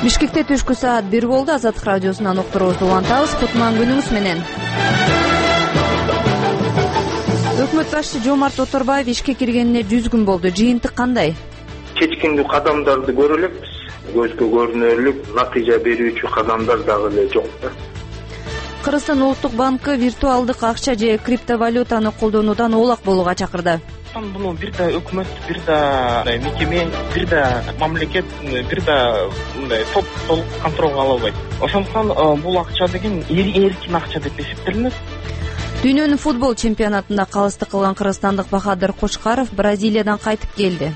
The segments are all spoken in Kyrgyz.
Бишкекте түшкү саат 1 болду. Азаттык радиосунан уктуруубузду улантабыз. Кутман күнүңүз менен. Өкмөт башчысы Жомарт Оторбаев ишке киргенине 100 күн болду. Жыйынтык кандай? Чечкиндүү кадамдарды көрө элекпиз. Көзгө көрүнөрлүк натыйжа берүүчү кадамдар дагы эле жок да. Кыргызстан Улуттук банкы виртуалдык акча же криптовалютаны колдонуудан оолак болууга чакырды. Буну бир да өкмөт, бир да мекеме, бир да мамлекет, бир да мындай топ толук контролго ала албайт. Ошондуктан бул акча деген эркин акча деп эсептелинет. Дүйнөнүн футбол чемпионатында калыстык кылган кыргызстандык Бахадыр Кочкаров Бразилиядан кайтып келди.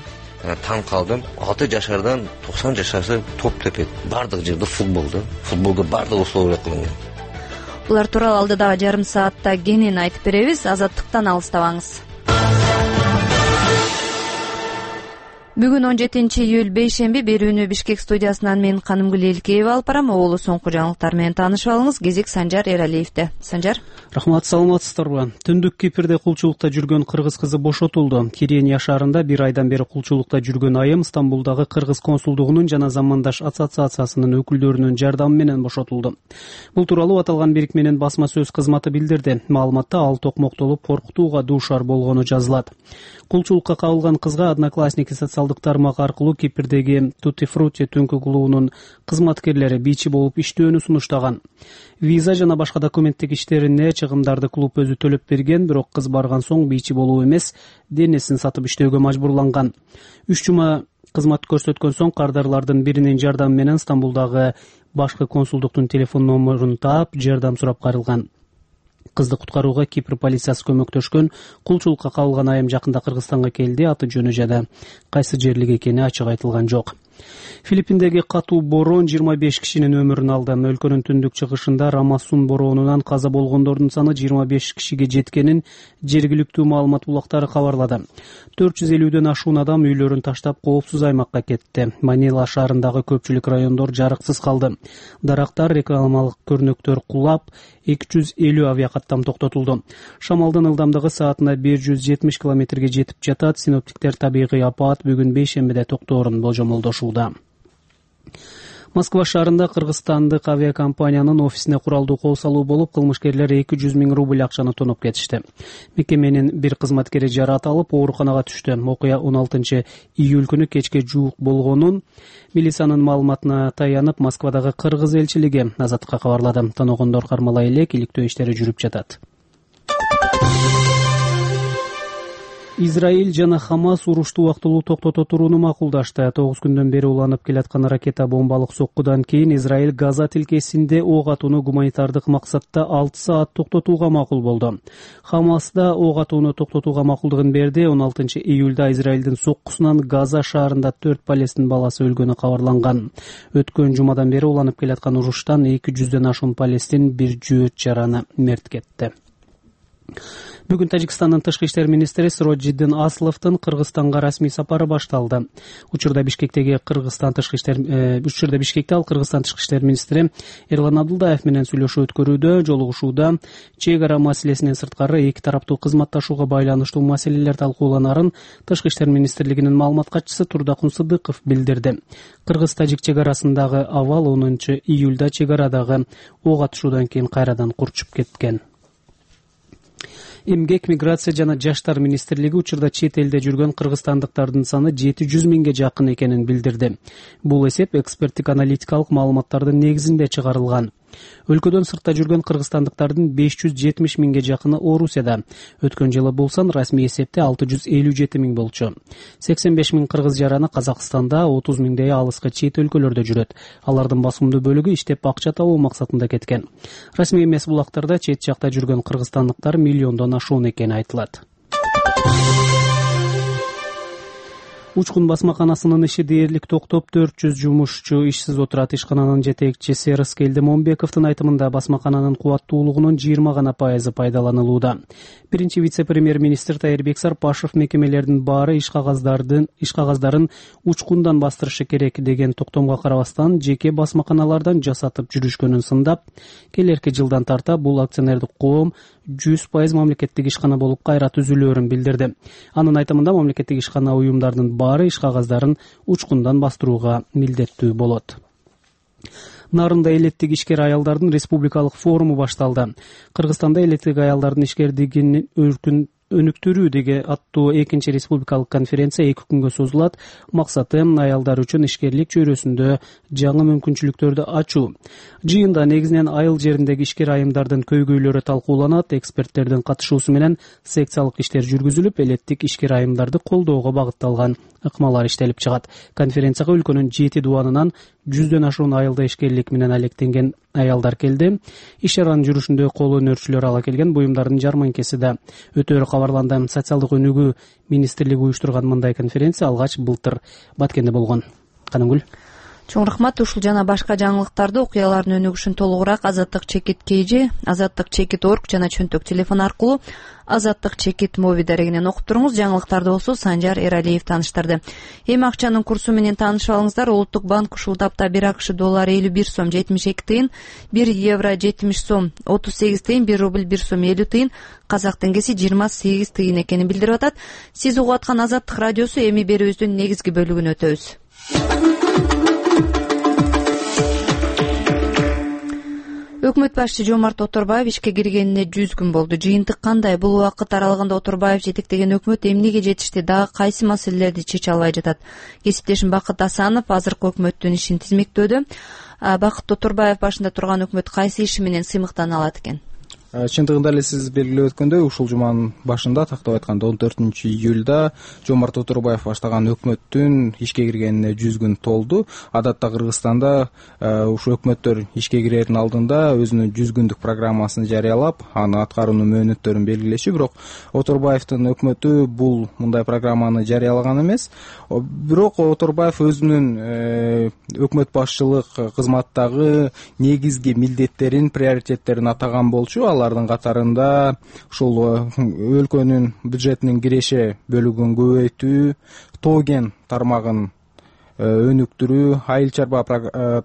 Таң калдым. 6 жашардан 90 жашарчы топ тепет. Бардык жерде футболдо бардык условия кылынган. Булар тууралуу алдыдагы жарым саатта кенен айтып беребиз. Азаттыктан алыстабаңыз. Бүгүн 17-июль бейшемби. Берүүнү Бишкек студиясынан мен Канымгүл Элкеева алып барам. Оолу соңку жаңылыктар менен таанышып алыңыз. Кезек Санжар Эралиевде. Санжар. Рахмат, саламатсыздарбы? Түндүк Кипрде кулчулукта жүргөн кыргыз кызы бошотулду. Кирения шаарында 1 айдан бери кулчулукта жүргөн айым Стамбулдагы кыргыз консулдугунун жана Замандаш ассоциациясынын өкүлдөрүнүн жардамы менен бошотулду. Бул тууралуу аталган бирикменин басма сөз кызматы билдирди. Маалыматта ал токмоктолуп коркутууга дуушар болгону жазылат. Кулчулукка кабылган кызга Одноклассники социалдык тармак аркылуу Кипрдеги Tutti Frutti түнкү клубунун кызматкерлери бичи болуп иштөөнү сунуштаган. Виза жана башка документтик иштерине чыгымдарды клуб өзү төлөп берген, бирок кыз барган соң бичи болуу эмес, денесин сатып иштөөгө мажбурланган. 3 жума кызмат көрсөткөн соң кардарлардын биринин жардамы менен Стамбулдагы башкы консулдуктун телефон номерун таап, жардам сурап кайрылган. Кызды куткарууга Кипр полициясы көмөктөшкөн. Кулчулукка кабылган айым жакында Кыргызстанга келди. Аты жөнү жада кайсы жерлик экени ачык айтылган жок. Филиппиндеги катуу борон 25 кишинин өмүрүн алды. Өлкөнүн түндүк чыгышында Рамасун боронунан каза болгондордун саны 25 кишиге жеткенин жергиликтүү маалымат булактары кабарлады. 450дөн ашуун адам үйлөрүн таштап коопсуз аймакка кетти. Манила шаарындагы көпчүлүк райондор жарыксыз калды. Дарактар, рекламалык көрнөктөр кулап, 250 авиакаттам токтотулду. Шамалдын ылдамдыгы саатына 170 километрге жетип жатат. Синоптиктер табигый апат бүгүн бейшембиде токтоорун болжомолдошууда. Москва шаарында кыргызстандык авиакомпаниянын офисине куралдуу кол салуу болуп, кылмышкерлер 200 000 рубль акчаны тоноп кетишти. Мекеменин бир кызматкери жараат алып, ооруканага түштү. Окуя 16 июль күнү кечке жуук болгонун милициянын маалыматына таянып, Москвадагы кыргыз элчилиги Азаттыкка кабарлады. Таногондор кармалай эле иликтөө иштери жүрүп жатат. Израиль жана Хамас урушту убактылуу токтото турууну макулдашты. 9 күндөн бери уланып келаткан ракета бомбалык соккудан кийин Израиль Газа тилкесинде ок атууну гуманитардык максатта 6 саат токтотууга макул болду. Хамас да ок атууну токтотууга макулдугун берди. 16 июлда Израилдин соккусунан Газа шаарында 4 палестин баласы өлгөнү кабарланган. Өткөн жумадан бери уланып келаткан уруштан 200дөн ашуун палестин бир жөөт жараны мерт кетти. Бүгүн Тажикстандын тышкы иштер министри Сироджиддин Асловдун Кыргызстанга расмий сапары башталды. Учурда Бишкекте ал Кыргызстан тышкы иштер министри Эрлан Абдулдаев менен сүйлөшүү өткөрүүдө, жолугушууда чек ара маселесинен сырткары эки тараптуу кызматташууга байланыштуу маселелер талкууланарын тышкы иштер министрлигинин маалымат катчысы Турдакун Сыдыков билдирди. Кыргыз-тажик чек арасындагы абал 10 июлда чек арадагы ок атышуудан кийин кайрадан курчуп кеткен. Эмгек, миграция жана жаштар министрлиги учурда чет элде жүргөн кыргызстандыктардын саны 700 000ге жакын экенин билдирди. Бул эсеп эксперттик аналитикалык маалыматтардын негизинде чыгарылган. Өлкөдөн сыртта жүргөн кыргызстандыктардын 570 000ге жакыны Орусияда. Өткөн жылы бул сан расмий эсепте 657 000 болчу. 85 000 кыргыз жараны Казакстанда, 30 000дей алыскы чет өлкөлөрдө жүрөт. Алардын басымдуу бөлүгү иштеп акча табуу максатында кеткен. Расмий эмес булактарда чет жакта жүргөн кыргызстандыктар миллиондон ашуун экени айтылат. Учкун басмаканасынын иши дээрлик токтоп, 400 жумушчу ишсиз отурат. Ишкананын жетекчиси Рыскы Элдимомбековдун айтымында басмакананын кубаттуулугунун 20% пайдаланылууда. Биринчи вице-премьер-министр Тайырбек Сарпашев мекемелердин баары иш кагаздарын учкундан бастырышы керек деген токтомго карабастан жеке басмаканалардан жасатып жүрүшкөнүн сындап, келерки жылдан тарта бул акционердик коом 100% мамлекеттик ишкана болуп кайра түзүлөөрүн билдирди. Анын айтымында мамлекеттик ишкана уюмдардын баары иш кагаздарын учкундан бастырууга милдеттүү болот. Нарында элеттик ишкер аялдардын республикалык форуму башталды. Кыргызстанда элеттик аялдардын ишкерлигин өнүктүрүүдөгү аттуу экинчи республикалык конференция 2 күнгө созулат. Максаты аялдар үчүн ишкерлик чөйрөсүндө жаңы мүмкүнчүлүктөрдү ачуу. Жыйында негизинен айыл жериндеги ишкер айымдардын көйгөйлөрү талкууланат. Эксперттердин катышуусу менен секциялык иштер жүргүзүлүп, элеттик ишкер айымдарды колдоого багытталган ыкмалар иштелип чыгат. Конференцияга өлкөнүн 7 дубанынан 100дөн ашуун айылда ишкерлик менен алектенген аялдар келди. Иш чаранын жүрүшүндө кол өнөрчүлөр ала келген буюмдардын жарманкеси да өтөөрү кабарланды. Социалдык өнүгүү министрлиги уюштурган мындай конференция алгач былтыр Баткенде болгон. Канымгүл. Чоң рахмат. Ушул жана башка жаңылыктарды, окуялардын өнүгүшүн толугураак Азаттык чекит KG, Азаттык чекит org жана чөнтөк телефон аркылуу Азаттык чекит моби дарегинен окуп туруңуз. Жаңылыктарды болсо Санжар Эралиев тааныштырды. Эми акчанын курсу менен таанышып алыңыздар. Улуттук банк ушул тапта 1 АКШ доллары 51 сом 72 тыйын, 1 евро 70 сом 38 тыйын, 1 рубль 1 сом 50 тыйын, казак теңгеси 28 тыйын экенин билдирип атат. Сиз угуп аткан Азаттык радиосу. Эми берүүбүздүн негизги бөлүгүнө өтөбүз. Өкмөт башчысы Жомарт Оторбаев ишке киргенине 100 күн болду. Жыйынтык кандай? Бул убакыт аралыгында Оторбаев жетектеген өкмөт эмнеге жетишти? Дагы кайсы маселелерди чече албай жатат? Кесиптешим Бакыт Асанов азыркы өкмөттүн ишин тизмектөөдө. Бакыт Оторбаев башында турган өкмөт кайсы иши менен сыймыктана алат экен? Чындыгында эле сиз белгилеп өткөндөй, ушул жуманын башында, тактап айтканда 14-июлда Жомарт Оторбаев баштаган өкмөттүн ишке киргенине 100 күн толду. Адатта Кыргызстанда ушул өкмөттөр ишке кирердин алдында өзүнүн 100 күндүк программасын жарыялап, аны аткаруунун мөөнөттөрүн белгилеши. Бирок Оторбаевдин өкмөтү бул мындай программаны жарыялаган эмес. Бирок Оторбаев өзүнүн өкмөт башчылык кызматтагы негизги милдеттерин, приоритеттерин атаган болчу. Алардын катарында ушул өлкөнүн бюджетинин киреше бөлүгүн көбөйтүү, тоген тармагын өнүктүрүү, айыл чарба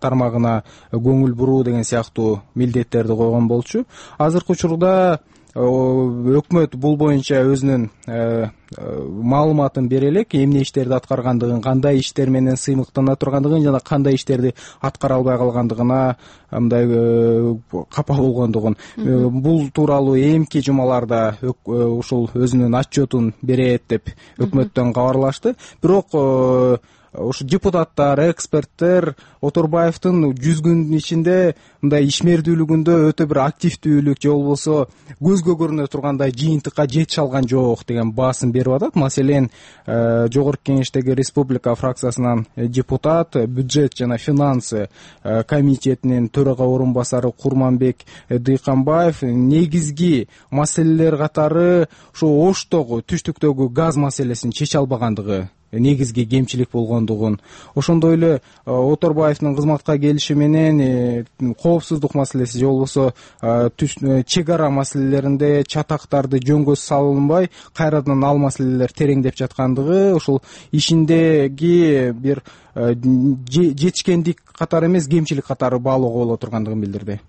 тармагына көңүл буруу деген сыяктуу милдеттерди койгон болчу. Азыркы учурда өкмөт бул боюнча өзүнүн маалыматын бере элек, эмне иштерди аткаргандыгын, кандай иштер менен сыймыктана тургандыгын жана кандай иштерди аткара албай калгандыгына мындай капа болгондугун. Бул тууралуу эмки жумаларда ушул өзүнүн отчетун берет деп өкмөттөн кабарлашты. Бирок ушу депутаттар, эксперттер Оторбаевдин 100 күндүн ичинде мындай ишмердүүлүгүндө өтө бир активдүүлүк же болбосо көзгө көрүнө тургандай жыйынтыкка жетише алган жок деген баасын берип атат. Маселен, Жогорку Кеңештеги Республика фракциясынан депутат, бюджет жана финансы комитетинин төрага орун басары Курманбек Дыйканбаев негизги маселелер катары ушу Оштогу, түштүктөгү газ маселесин чече албагандыгы негизги кемчилик болгондугун, ошондой эле Оторбаевдин кызматка келиши менен коопсуздук маселеси же болбосо чек ара маселелеринде чатактарды жөнгө салынбай кайрадан ал маселелер тереңдеп жаткандыгы, ушул ишиндеги бир жетишкендик катары эмес, кемчилик катары баалоого боло тургандыгын билдирди.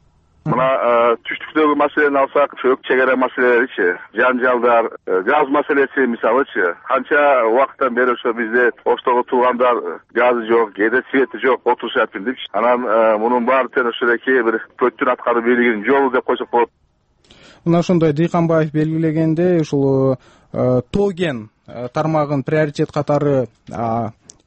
Мына түштүктөгү маселени алсак, чек ара маселелеричи, жанжалдар, газ маселеси мисалычы, канча убакыттан бери ошо бизде Оштого туугандар газы жок, кээде свети жок, отурушат билдикчи. Анан мунун баары тең ошолеки бир көттүн аткаруу бийлигинин жолу деп койсок болот. Мына ошондой Дыйканбаев белгилегенде, ушул тоген тармагын приоритет катары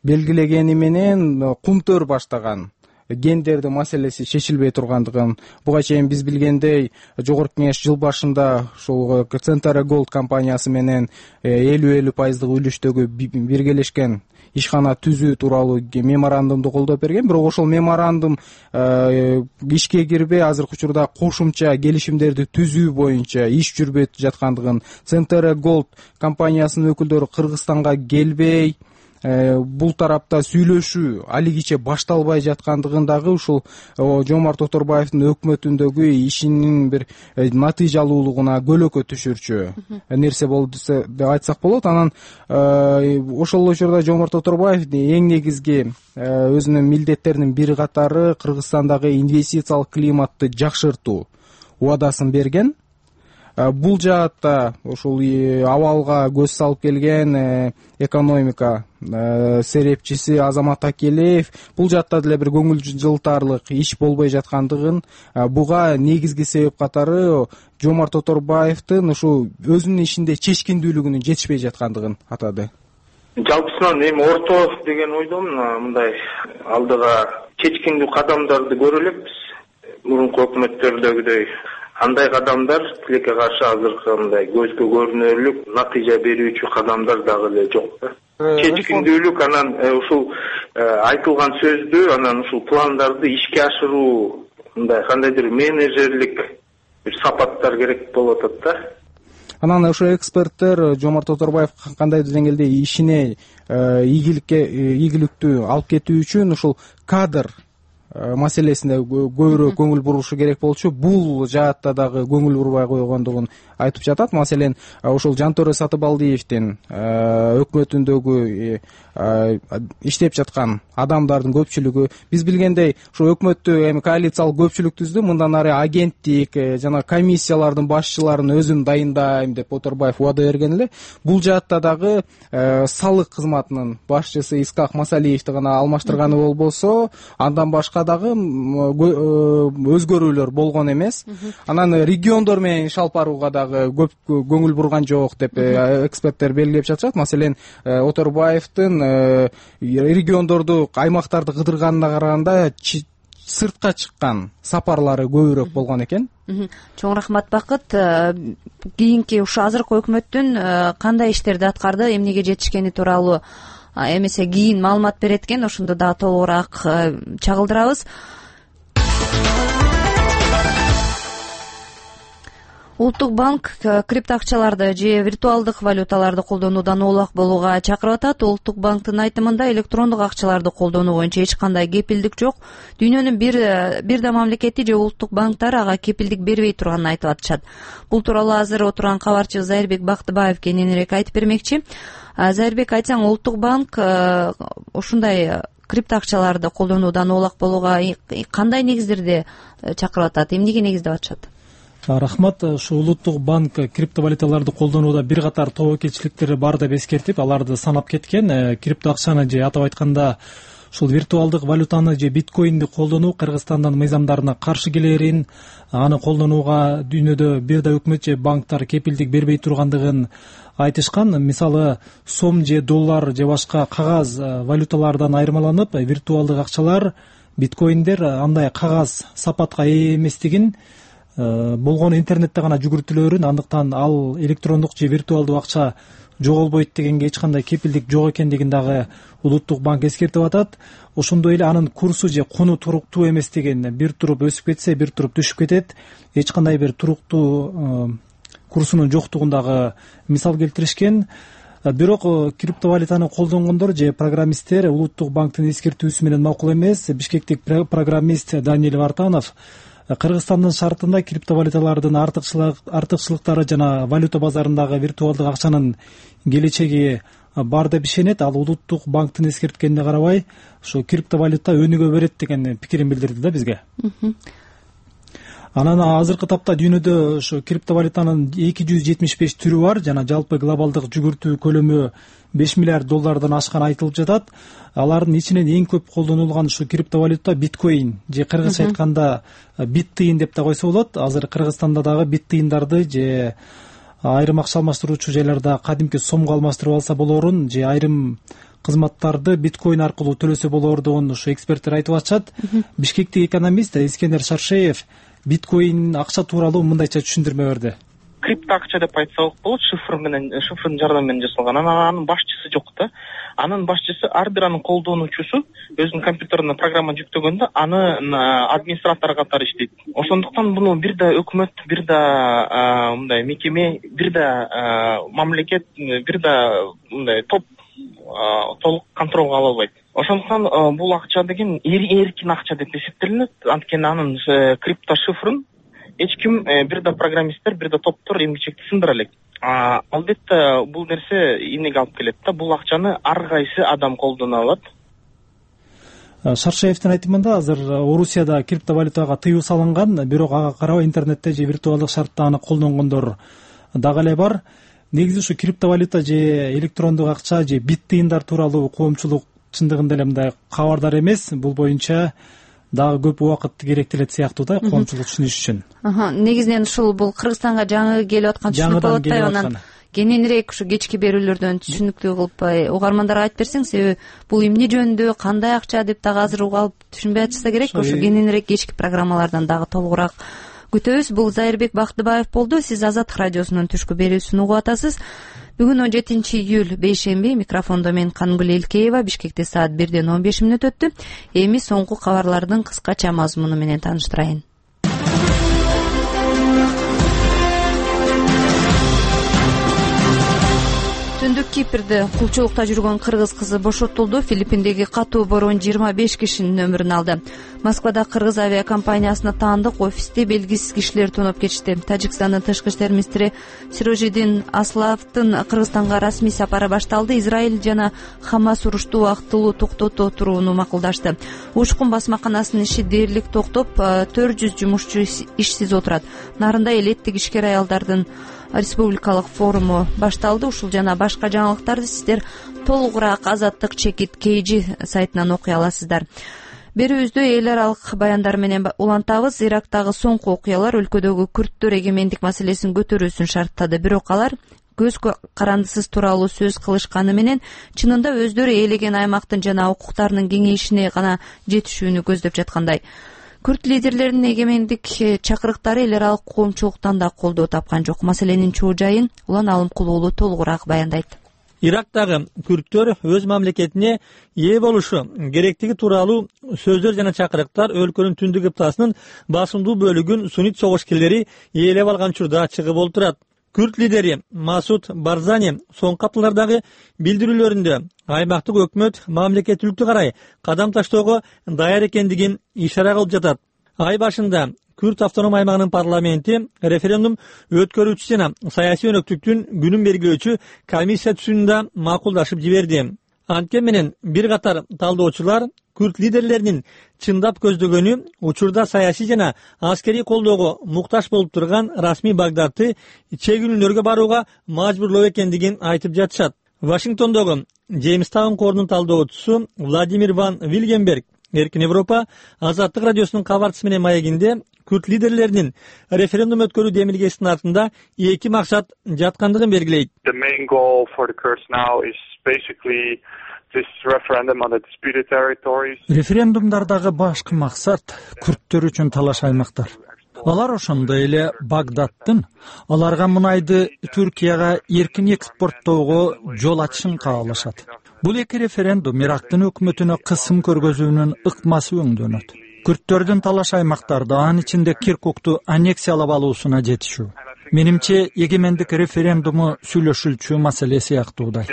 белгилегени менен кумтөр баштаган гендерди маселеси чечилбей тургандыгын, буга чейин биз билгендей Жогорку Кеңеш жыл башында ушул Центр Голд компаниясы менен 50% үлүштөгү биргелешкен ишкана түзүү тууралуу меморандумду колдоп берген. Бирок ошол меморандум ишке кирбей, азыркы учурда кошумча келишимдерди түзүү боюнча иш жүрбөй жаткандыгын, Центр Голд компаниясынын өкүлдөрү Кыргызстанга келбей, бул тарапта сүйлөшүү алигиче башталбай жаткандыгын дагы ушул Жомарт Оторбаевдин өкмөтүндөгү ишинин бир натыйжалуулугуна көлөкө түшүрчү нерсе болду деп айтсак болот. Анан ошол учурда Жомарт Оторбаев эң негизги өзүнүн милдеттеринин бири катары Кыргызстандагы инвестициялык климатты жакшыртуу убадасын берген. бул жаатта ушул абалга көз салып келген экономика серепчиси Азамат Акелеев бул жаатта деле бир көңүл жылтаарлык иш болбой жаткандыгын, буга негизги себеп катары Жомарт Оторбаевдин ушул өзүнүн ишинде чечкиндүүлүгүнүн жетишпей жаткандыгын атады. Жалпысынан эми орто деген ойдомун, мындай алдыга чечкиндүү кадамдарды көрө элекпиз. Мурунку өкмөттөрдөгүдөй андай кадамдар тилекке каршы азыркы мындай көзгө көрүнөрлүк натыйжа берүүчү кадамдар дагы эле жок да. Чечкиндүүлүк анан ушул айтылган сөздү, анан ушул пландарды ишке ашыруу мындай кандайдыр менеджерлик бир сапаттар керек болуп атат да. Анан ошо эксперттер Жомарт Оторбаев кандайдыр деңгээлде ишине ийгиликтүү алып кетүү үчүн ушул кадр маселесине көбүрөөк көңүл бурушу керек болчу. Бул жаатта дагы көңүл бурбай койгондугун айтып жатат. Маселен, ошол Жантөре Сатыбалдиевдин өкмөтүндөгү иштеп жаткан адамдардын көпчүлүгү биз билгендей ошо өкмөттү эми коалициялык көпчүлүк түздү. Мындан ары агенттик жана комиссиялардын башчыларын өзүм дайындайм деп Оторбаев убада берген эле. Бул жаатта дагы салык кызматынын башчысы Искак Масалиевди гана алмаштырганы болбосо, андан башка дагы өзгөрүүлөр болгон эмес. Анан региондор менен иш алып барууга дагы көп көңүл бурган жок деп эксперттер белгилеп жатышат. Маселен, Оторбаевдин региондорду, аймактарды кыдырганына караганда сыртка чыккан сапарлары көбүрөөк болгон экен. Чоң рахмат Бакыт. Кийинки ушу азыркы өкмөттүн кандай иштерди аткарды, эмнеге жетишкени тууралуу эмесе кийин маалымат берет экен, ошондо дагы толугураак чагылдырабыз. Улуттук банк криптоакчаларды же виртуалдык валюталарды колдонуудан оолак болууга чакырып атат. Улуттук банктын айтымында электрондук акчаларды колдонуу боюнча эч кандай кепилдик жок. Дүйнөнүн бир да мамлекети же улуттук банктар ага кепилдик бербей турганын айтып атышат. Бул тууралуу азыр отурган кабарчыбыз Зайырбек Бактыбаев кененирээк айтып бермекчи. Зайырбек, айтсаң, улуттук банк ушундай криптоакчаларды колдонуудан оолак болууга кандай негиздерде чакырып атат, эмнеге негиздеп атышат? Рахмат. Ушу улуттук банк криптовалюталарды колдонууда бир катар тобокелчиликтери бар деп эскертип, аларды санап кеткен. Криптоакчаны же атап айтканда ушул виртуалдык валютаны же биткоинди колдонуу Кыргызстандын мыйзамдарына каршы келерин, аны колдонууга дүйнөдө бир да өкмөт же банктар кепилдик бербей тургандыгын айтышкан. Мисалы, сом же доллар же башка кагаз валюталардан айырмаланып, виртуалдык акчалар, биткоиндер андай кагаз сапатка ээ эместигин, болгону интернетте гана жүгүртүлөрүн, андыктан ал электрондук же виртуалдуу акча жоголбойт дегенге эч кандай кепилдик жок экендигин дагы улуттук банк эскертип атат. Ошондой эле анын курсу же куну туруктуу эместигин, бир туруп өсүп кетсе, бир туруп түшүп кетет, эч кандай бир туруктуу курсунун жоктугун дагы мисал келтиришкен. Бирок криптовалютаны колдонгондор же программисттер улуттук банктын эскертүүсү менен макул эмес. Бишкектик программист Даниил Вартанов Кыргызстандын шартында криптовалюталардын артыкчылыктары жана валюта базарындагы виртуалдык акчанын келечеги бар деп ишенет. Ал улуттук банктын эскерткенине карабай, ушу криптовалюта өнүгө берет деген пикирин билдирди да бизге. Анан азыркы тапта дүйнөдө ушу криптовалютанын 275 түрү бар жана жалпы глобалдык жүгүртүү көлөмү 5 миллиард доллардан ашканы айтылып жатат. Алардын ичинен эң көп колдонулган ушу криптовалюта биткоин же кыргызча айтканда бит тыйын деп да койсо болот. Азыр Кыргызстанда дагы бит тыйындарды же айрым акча алмаштыруучу жайларда кадимки сомго алмаштырып алса болорун, же айрым кызматтарды биткоин аркылуу төлөсө болордугун ушу эксперттер айтып атышат. Бишкектик экономист Искендер Шаршеев биткоин акча тууралуу мындайча түшүндүрмө берди. Крипто акча деп айтсак болот, шифрдын жардамы менен жасалган. Анын башчысы жок да. Анын башчысы ар бир анын колдонуучусу өзүнүн компьютерине программа жүктөгөндө анын администратору катары иштейт. Ошондуктан муну бир да өкмөт, бир да мындай мекеме, бир да мамлекет, бир да мындай топ толук контролго ала албайт. Ошондуктан бул акча деген эркин акча деп эсептелинет. Анткени анын крипто шифрын эч ким, бир да программисттер, бир да топтор эмгичекти сындыра элек. Албетте бул нерсе эмнеге алып келет да? Бул акчаны ар кайсы адам колдоно алат. Шаршаевдин айтымында азыр Орусияда криптовалютага тыюу салынган, бирок ага карабай интернетте же виртуалдык шартта аны колдонгондор дагы эле бар. Негизи ушу криптовалюта же электрондук акча же бит тыйындар тууралуу коомчулук чындыгында эле мындай кабардар эмес. Бул боюнча дагы көп убакыт керектелет сыяктуу да коомчулук түшүнүш үчүн. Негизинен ушул бул Кыргызстанга жаңы келип аткан түшүнүк болуп атпайбы? Анан кененирээк ушу кечки берүүлөрдөн түшүнүктүү кылып угармандарга айтып берсең, себеби бул эмне жөнүндө, кандай акча деп дагы азыр угалып түшүнбөй атышса керек. Ошо кененирээк кечки программалардан дагы толугураак күтөбүз. Бул Зайырбек Бактыбаев болду. Сиз Азаттык радиосунун түшкү берүүсүн угуп атасыз. Бүгүн 17-июль бейшемби. Микрофондо мен Кангүл Элкеева. Бишкекте саат 1:15 өттү. Эми соңку кабарлардын кыскача мазмуну менен тааныштырайын. Түндүк Кипрде кулчулукта жүргөн кыргыз кызы бошотулду. Филиппиндеги катуу борон 25 кишинин өмүрүн алды. Москвада кыргыз авиакомпаниясына таандык офисти белгисиз кишилер тоноп кетишти. Тажикстандын тышкы иштер министри Сирожидин Асловдун Кыргызстанга расмий сапары башталды. Израиль жана Хамас урушту убактылуу токтото турууну макулдашты. Учкун басмаканасынын иши дээрлик токтоп, 400 жумушчу ишсиз отурат. Нарында элеттик ишкер аялдардын республикалык форуму башталды. Ушул жана башка жаңылыктарды сиздер толугураак Азаттык чекит KG сайтынан окуй аласыздар. Берүүбүздө эл аралык баяндар менен улантабыз. Ирактагы соңку окуялар өлкөдөгү күрттөр эгемендик маселесин көтөрүүсүн шарттады. Бирок алар көз карандысыз тууралуу сөз кылышканы менен чынында өздөрү ээлеген аймактын жана укуктарынын кеңейишине гана жетишүүнү көздөп жаткандай. Күрт лидерлеринин эгемендик чакырыктары эл аралык коомчулуктан да колдоо тапкан жок. Маселенин чоо жайын Улан Алымкул уулу толугураак баяндайт. Ирактагы күрттөр өз мамлекетине ээ болушу керектиги тууралуу сөздөр жана чакырыктар өлкөнүн түндүк кыптасынын басымдуу бөлүгүн суннит согушкерлери ээлеп алган учурда чыгып олтурат. Күрт лидери Масуд Барзани соңку апталардагы билдирүүлөрүндө аймактык өкмөт мамлекеттүүлүктү карай кадам таштоого даяр экендигин ишара кылып жатат. Ай башында Күрт автоном аймагынын парламенти референдум өткөрүүчү жана саясий өнөктүктүн күнүн белгилөөчү комиссия түзүүнүн да макулдашып жиберди. Анткени менен бир катар талдоочулар күрт лидерлеринин чындап көздөгөнү учурда саясий жана аскерий колдоого муктаж болуп турган расмий Багдадты чегүүнүлөргө барууга мажбурлоо экендигин айтып жатышат. Вашингтондогу Джеймстаун корунун талдоочусу Владимир ван Вильгенберг Эркин Европа Азаттык радиосунун кабарчысы менен маегинде күрт лидерлеринин референдум өткөрүү демилгесинин артында эки максат жаткандыгын белгилейт. Референдумдардагы башкы максат күрттөр үчүн талаш аймактар. Алар ошондой эле Багдадтын аларга мунайды Түркияга эркин экспорттоого жол ачышын каалашат. Бул эки референдум Ирактын өкмөтүнө кысым көргөзүүнүн ыкмасы өңдөнөт. Күрттөрдүн талаш аймактарда, анын ичинде Киркукту аннексиялап алуусуна жетишүү. Менимче эгемендик референдуму сүйлөшүлчү маселе сыяктуудай.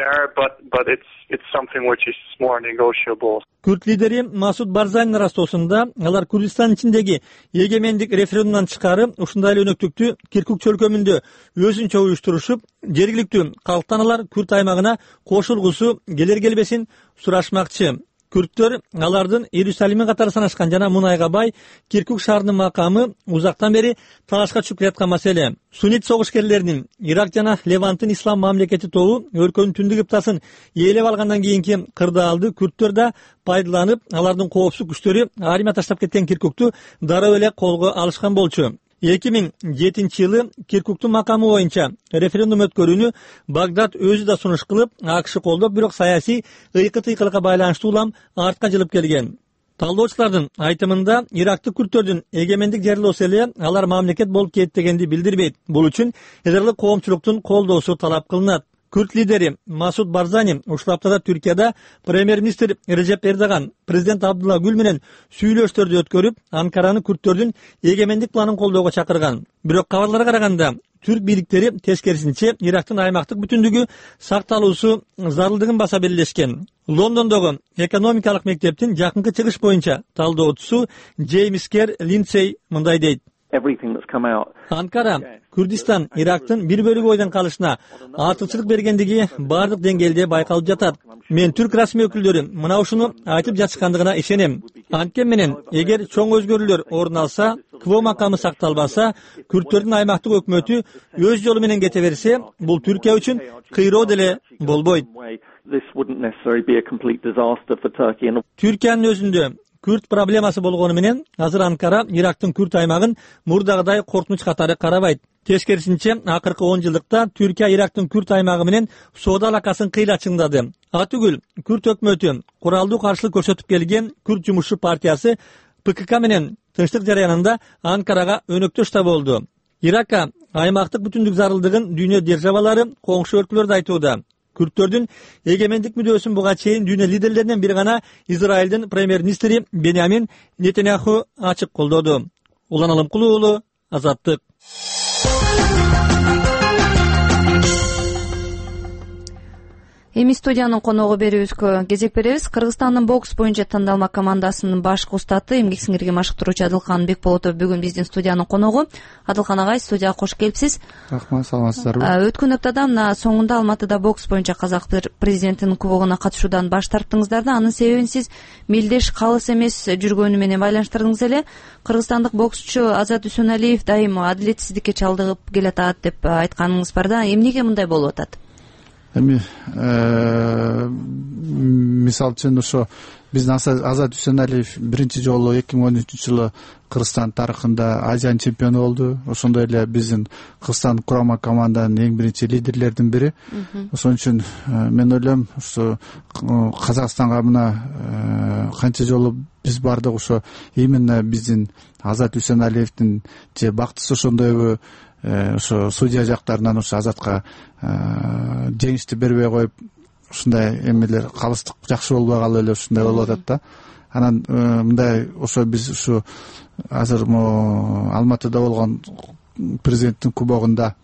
Күрт лидери Масуд Барзанин растоосунда алар Күрдистан ичиндеги эгемендик референдумдан тышкары ушундай эле өнөктүктү Киркук чөлкөмүндө өзүнчө уюштурушуп, жергиликтүү калктан алар Күрт аймагына кошулгусу келер-келбесин сурашмакчы. Күрттөр алардын Иерусалимин катары санашкан жана мунайга бай Киркук шаарынын макамы узактан бери талашка чыгып келаткан маселе. Суннит согушкерлеринин Ирак жана Леванттын ислам мамлекети тобу өлкөнүн түндүк кыптасын ээлеп алгандан кийинки кырдаалды күрттөр да пайдаланып, алардын коопсуз күчтөрү армия таштап кеткен Киркукту дароо эле колго алышкан болчу. 2007-жылы Киркуктун макамы боюнча референдум өткөрүүнү Багдад өзү да сунуш кылып, АКШ колдоп, бирок саясий ыйкы-тыйкылыкка байланыштуу улам артка жылып келген. Талдоочулардын айтымында Ирактык күрттөрдүн эгемендик жарыялоосу эле алар мамлекет болуп кетти дегенди билдирбейт. Бул үчүн эл аралык коомчулуктун колдоосу талап кылынат. Күрт лидери Масуд Барзани ушул аптада Түркияда премьер-министр Режеп Эрдоган президент Абдулла Гүл менен сүйлөшүүлөрдү өткөрүп, Анкараны күрттөрдүн эгемендик планын колдоого чакырган. Бирок кабарларга караганда түрк бийликтери тескерисинче Ирактын аймактык бүтүндүгү сакталуусу зарылдыгын баса белгилешкен. Лондондогу экономикалык мектептин жакынкы чыгыш боюнча талдоочусу Джеймс Кер Линдсей мындай дейт. Анкара Күрдистан Ирактын бир бөлүгү бойдон калышына артыкчылык бергендиги бардык деңгээлде байкалып жатат. Мен түрк расмий өкүлдөрү мына ушуну айтып жатышкандыгына ишенем. Анткени менен эгер чоң өзгөрүүлөр орун алса, КВО макамы сакталбаса, күрттөрдүн аймактык өкмөтү өз жолу менен кете берсе, бул Түркия үчүн кыйроо деле болбойт. Түркиянын өзүндө күрт проблемасы болгону менен азыр Анкара Ирактын күрт аймагын мурдагыдай коркунуч катары карабайт. Тескерисинче, акыркы 10 жылдыкта Түркия Ирактын күрт аймагы менен соода алакасын кыйла чыңдады. Атүгүл күрт өкмөтү куралдуу каршылык көрсөтүп келген Күрт жумушчу партиясы ПКК менен тынчтык жараянында Анкарага өнөктөш да болду. Иракка аймактык бүтүндүк зарылдыгын дүйнө державалары, коңшу өлкөлөр да айтууда. Күрттөрдүн эгемендик мүдөөсүн буга чейин дүйнө лидерлеринен бири гана Израилдин премьер-министри Беньямин Нетаньяху ачык колдоду. Улан Алымкулуу уулу, Азаттык. Эми студиянын коногу берүүбүзгө кезек беребиз. Кыргызстандын бокс боюнча тандалма командасынын башкы устаты, эмгек сиңирге машыктыруучу Адылхан Бекболотов бүгүн биздин студиянын коногу. Адылхан агай, студияга кош келипсиз. Рахмат, саламатсыздарбы? Өткөн аптада мына соңунда Алматыда бокс боюнча казак президентинин кубогуна катышуудан баш тарттыңыздар да, анын себебин сиз мелдеш калыс эмес жүргөнү менен байланыштырдыңыз эле. Кыргызстандык боксчу Азат Үсөнәлиев дайым адилетсиздикке чалдыгып келатат деп айтканыңыз бар да, эмнеге мындай болуп атат? Эми мисалы үчүн ошо биздин Азат Үсөнәлиев биринчи жолу 2013-жылы Кыргызстан тарыхында Азиянын чемпиону болду. Ошондой эле биздин Кыргызстан курама команданын эң биринчи лидерлердин бири. Ошон үчүн мен ойлойм, ошо Казакстанга мына канча жолу биз бардык, ошо именно биздин Азат Үсөнәлиевдин же бактысы ошондойбу, ошо судья жактарынан ошо Азатка жеңишти бербей коюп, ушундай эмелер калыстык жакшы болбой калып эле ушундай болуп атат да. Анан мындай ошо биз ушу азыр Алматыда болгон президенттин кубогунда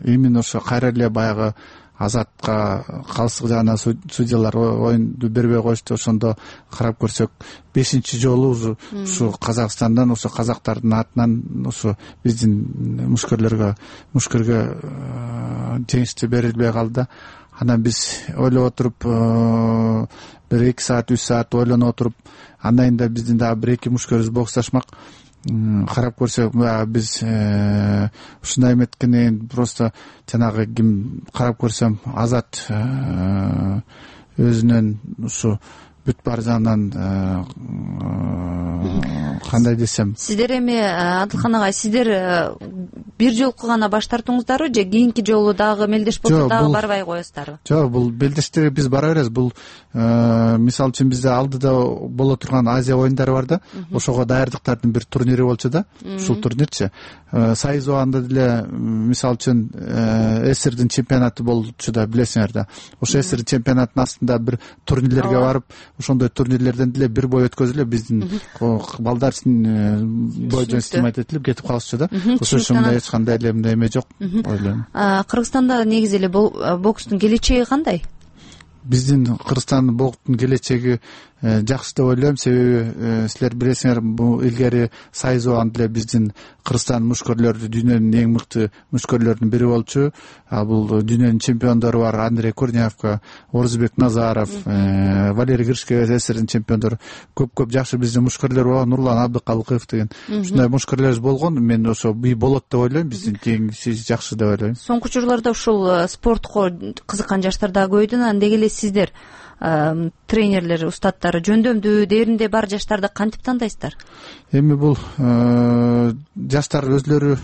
именно ошо кайра эле баягы Азатка калыстык жагынан судьялар оюнду бербей коюшту. Ошондо карап көрсөк 5-чи жолу ушу Казакстандан, ошо казактардын атынан ошо биздин мушкерлерге жеңишти берилбей калды. Анан биз ойлоп отуруп, бир 2 саат 3 саат ойлонуп отуруп, андан да биздин дагы 1-2 мушкерибиз боксташмак. Карап көрсөк, биз ушундай эметкенен просто жанагы ким карап көрсөм, Азат өзүнөн ушу бүт бар жагынан кандай десем. Сиздер эми Адылхан агай, сиздер бир жолку гана баш тартууңуздарбы же кийинки жолу дагы мелдеш болсо дагы барбай коесуздарбы? Жок, бул мелдештерге биз бара беребиз. Бул мисалы үчүн бизде алдыда боло турган Азия оюндары бар да, ошого даярдыктардын бир турнири болчу да. Ушул турнирчи Сайзуанда деле мисалы үчүн СССРдин чемпионаты болчу да, билесиңер да. Ошо СССР чемпионатынын астында бир турнирлерге барып, ошондой турнирлерден деле бир бой өткөзүп эле биздин балдар бойдон стимат этилип кетип калышчу да. Ошо үчүн мындай эч кандай эле мындай эме жок ойлойм. Кыргызстанда негизи эле бокстун келечеги кандай? Биздин Кыргызстандын бокстун келечеги жакшы деп ойлойм. Себеби силер билесиңер, бул илгери Сайзуан деле биздин Кыргызстан мушкерлөрү дүйнөнүн эң мыкты мушкерлөрүнүн бири болчу. Бул дүйнөнүн чемпиондору бар: Андрей Корнявка, Орзубек Назаров, Валерий Гришкевич, СССРдин чемпиондору. Көп жакшы биздин мушкерлер бар, Нурлан Абдыкалыков деген. Ушундай мушкерлерибиз болгон. Мен ошо болот деп ойлойм, биздин кеңиси жакшы деп ойлойм. Соңку учурларда ушул спортко кызыккан жаштар да көбөйдү. Андек эле сиздер тренерлер, устаттары жөндөмдүү дээринде бар жаштарды кантип тандайсыздар? Эми бул жаштар өзлөрү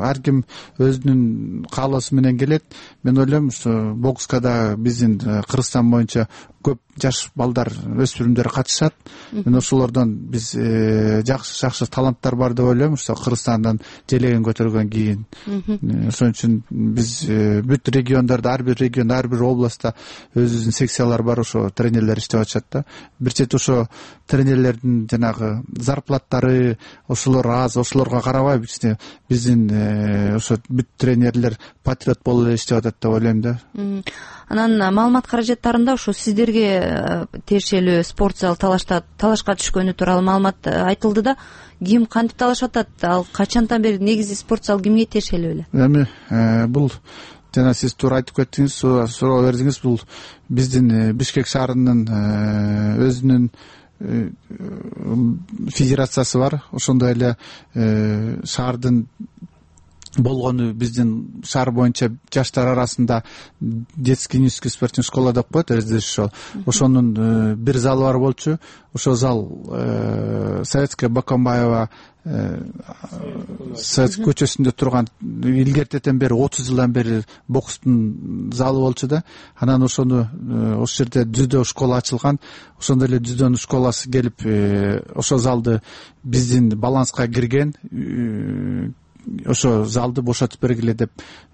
ар ким өзүнүн каалоосу менен келет. Мен ойлойм, ушу бокска да биздин Кыргызстан боюнча көп жаш балдар, өспүрүмдөр катышат. Мен ошолордон биз жакшы таланттар бар деп ойлойм. Ушу Кыргызстандан желеген көтөргөн кийин. Ошон үчүн биз бүт региондордо, ар бир региондо, ар бир областта өзүбүздүн секциялар бар, ошо тренерлер иштеп иштеп атышат да. Бир чети ошо тренерлердин жанагы зарплаттары ошолор аз, ошолорго карабай биздин ошо бүт тренерлер патриот болуп эле иштеп атат деп ойлойм да. Анан маалымат каражаттарында ошо сиздерге тиешелүү спорт зал талашка түшкөнү тууралуу маалымат айтылды да. Ким кантип талашып атат? Ал качантан бери негизи спорт зал кимге тиешелүү эле? Эми бул жана сиз туура айтып кеттиңиз, суроо бердиңиз. Бул биздин Бишкек шаарынын өзүнүн федерациясы бар. Ошондой эле шаардын болгону биздин шаар боюнча жаштар арасында детский юношеский спортивный школа деп коет, РЗШ. Ошонун бир залы бар болчу. Ошол зал Советская Бакамбаева Совет көчөсүндө турган илгертеден бери 30 жылдан бери бокстун залы болчу да. Анан ошону ошол жерде дзюдо школа ачылган. Ошондой эле дзюдонун школасы келип ошол залды биздин баланска кирген. Ошо залды бошотуп бергиле деп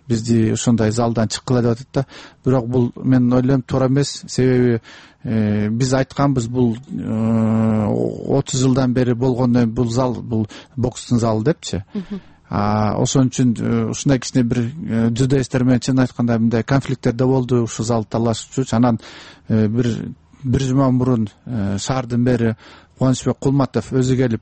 бизди ошондой залдан чыккыла деп атат да. Бирок бул мен ойлойм туура эмес. Себеби биз айтканбыз, бул 30 жылдан бери болгондон бул зал бул бокстун залы депчи. Ошон үчүн ушундай кичине бир дзюдоисттер менен чын айтканда мындай конфликттер да болду. Ушул залды талашчу. Анан бир жума мурун шаардын мэри Кубанычбек Кулматов өзү келип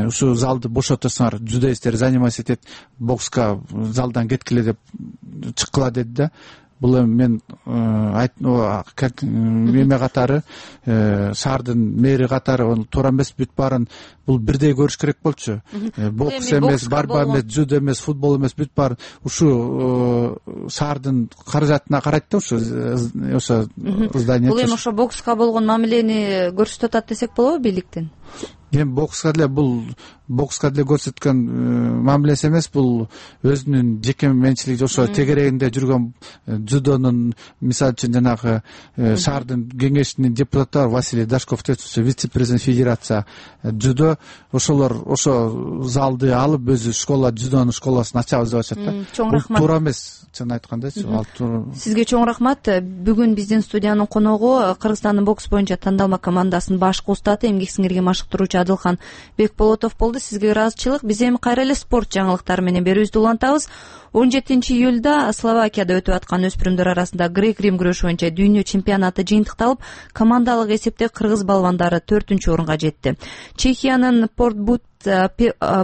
ушул залды бошотосуңар, дзюдоисттер заниматься этет, бокска залдан кеткиле деп чыккыла деди да. Бул эми мен как эме катары, шаардын мэри катары туура эмес, бүт баарын бул бирдей көрүш керек болчу. Бокс эмес, барба эмес, дзюдо эмес, футбол эмес, бүт баарын ушу шаардын каражатына карайт да ошо здание. Бул эми ошо бокска болгон мамилени көрсөтүп атат десек болобу бийликтин? Эми бокска деле көрсөткөн мамилеси эмес, бул өзүнүн жеке менчилиги. Ошо тегерегинде жүргөн дзюдонун, мисалы үчүн жанагы шаардын кеңешинин депутаты бар, Василий Дашков деп, вице-президент федерация дзюдо, ошолор ошо залды алып өзү школа, дзюдонун школасын ачабыз деп атышат да. Чоң рахмат. Туура эмес, чын айткандачы. Сизге чоң рахмат. Бүгүн биздин студиянын коногу Кыргызстандын бокс боюнча тандалма командасынын башкы устаты, эмгек сиңирген машыктыруучу Адылхан Бекболотов болду. Сизге ыраазычылык. Биз эми кайра эле спорт жаңылыктары менен берүүбүздү улантабыз. 17 июлда Словакияда өтүп аткан өспүрүмдөр арасында грек-рим күрөшү боюнча дүйнө чемпионаты жыйынтыкталып, командалык эсепте кыргыз балбандары 4-орунга жетти. Чехиянын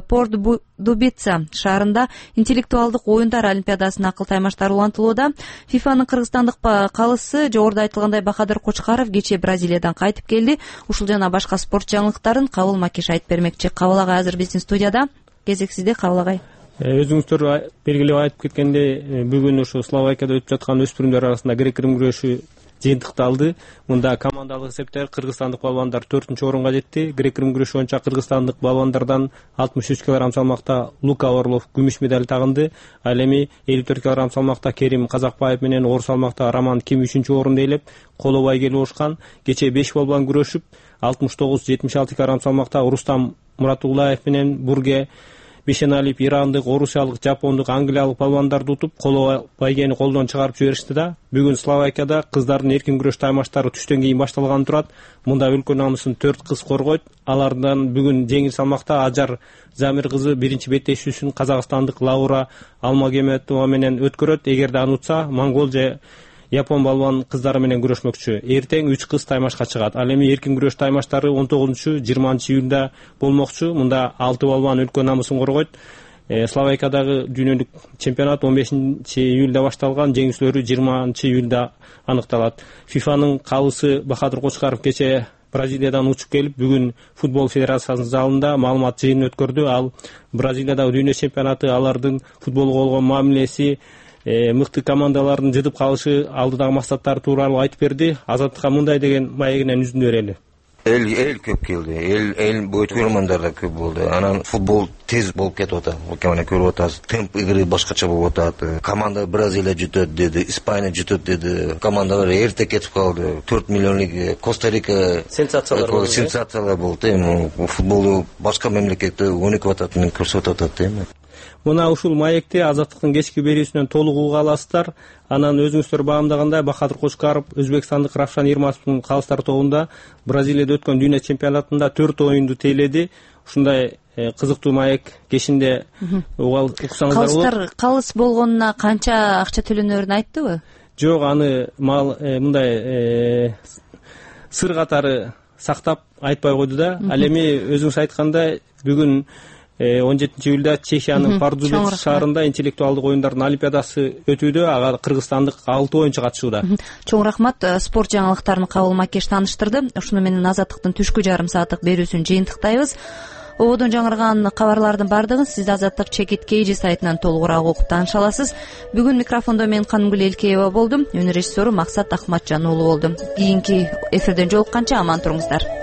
Порт-Дубица шаарында интеллектуалдык оюндар олимпиадасынын акыл таймаштары улантылууда. ФИФАнын кыргызстандык калысы жогоруда айтылгандай Бахадыр Кочкаров кечээ Бразилиядан кайтып келди. Ушул жана башка спорт жаңылыктарын Кабыл Макиш айтып бермекчи. Кабыл агай азыр биздин студияда. Кезек сизде, Кабыл агай. Өзүңүздөр белгилеп айтып кеткендей, бүгүн ушу Словакияда өтүп жаткан өспүрүмдөр арасында грек-рим күрөшү жыйынтыкталды. Мында командалык эсепте кыргызстандык балбандар 4-орунга жетти. Грек-рим күрөшү боюнча кыргызстандык балбандардан 63 кг салмакта Лука Орлов күмүш медаль тагынды. Ал эми 54 кг салмакта Керим Казакбаев менен оор салмакта Роман Ким 3-орунду ээлеп, коло бай келип ошкан. Кечээ 5 балбан күрөшүп, 69-76 кг салмакта Рустам Муратуллаев менен Бурге Бишеналип ирандык, орусиялык, жапондук, англиялык балбандарды утуп, коло байгени колдон чыгарып жиберишти да. Бүгүн Словакияда кыздардын эркин күрөш таймаштары түштөн кийин башталганы турат. Мында өлкө намысын 4 кыз коргойт. Алардан бүгүн жеңил салмакта Ажар Замир кызы биринчи беттешүүсүн казакстандык Лаура Алмагеметова менен өткөрөт. Эгерде аны утса, монгол же япон балбан кыздары менен күрөшмөкчү. Эртең 3 кыз таймашка чыгат. Ал эми эркин күрөш таймаштары 19-20 июлда болмокчу. Мында 6 балбан өлкө намысын коргойт. Словакиядагы дүйнөлүк чемпионат 15 июлда башталган, жеңүүчүлөрү 20 июлда аныкталат. ФИФАнын калысы Бахадыр Кочкаров кечээ Бразилиядан учуп келип, бүгүн футбол федерациясынын залында маалымат жыйынын өткөрдү. Ал Бразилиядагы дүйнө чемпионаты, алардын футболго болгон мамилеси, мыкты командалардын жыдып калышы алдыдагы максаттары тууралуу айтып берди. Азаттыкка мындай деген маегинен үзүндү берели. Эл көп келди. Эл көрөрмандар да көп болду. Анан футбол тез болуп кетип атат. Океана көрүп атабыз. Темп игры башкача болуп атат. Команда Бразилия жүтөт деди, Испания жүтөт деди. Командалар эрте кетип калды. 4 миллионлук Коста-Рика сенсациялар болду. Футболду башка мамлекетте өнүкүп ататынын көрсөтүп атат эми. Мына ушул маекти Азаттыктын кечки берүүсүнөн толук уга аласыздар. Анан өзүңүздөр баамдагандай Бахадыр Кошкаров өзбекстандык Равшан Ермасовдун калыстар тобунда Бразилияда өткөн дүйнө чемпионатында 4 оюнду тейледи. Ушундай кызыктуу маек кешинде уксаңыздар болот. Калыс болгонуна канча акча төлөнөрүн айтты? Жок, аны мындай сыр катары сактап айтпай койду да. Ал эми өзүңүз айткандай бүгүн 17-июлда Чехиянын Пардубец шаарында интеллектуалдык оюндардын олимпиадасы өтүүдө. Ага кыргызстандык 6 оюнчу катышууда. Чоң рахмат. Спорт жаңылыктарын Кабыл Макеш тааныштырды. Ушуну менен Азаттыктын түшкү жарым сааттык берүүсүн жыйынтыктайбыз. Ободон жаңырган кабарлардын бардыгын сиз Азаттык Чекит KG сайтынан толугураак окуп тааныша аласыз. Бүгүн микрофондо мен Канымгүл Элкеева болдум. Өнөр режиссеру Максат Ахматжан уулу болду. Кийинки эфирден жолукканча аман туруңуздар.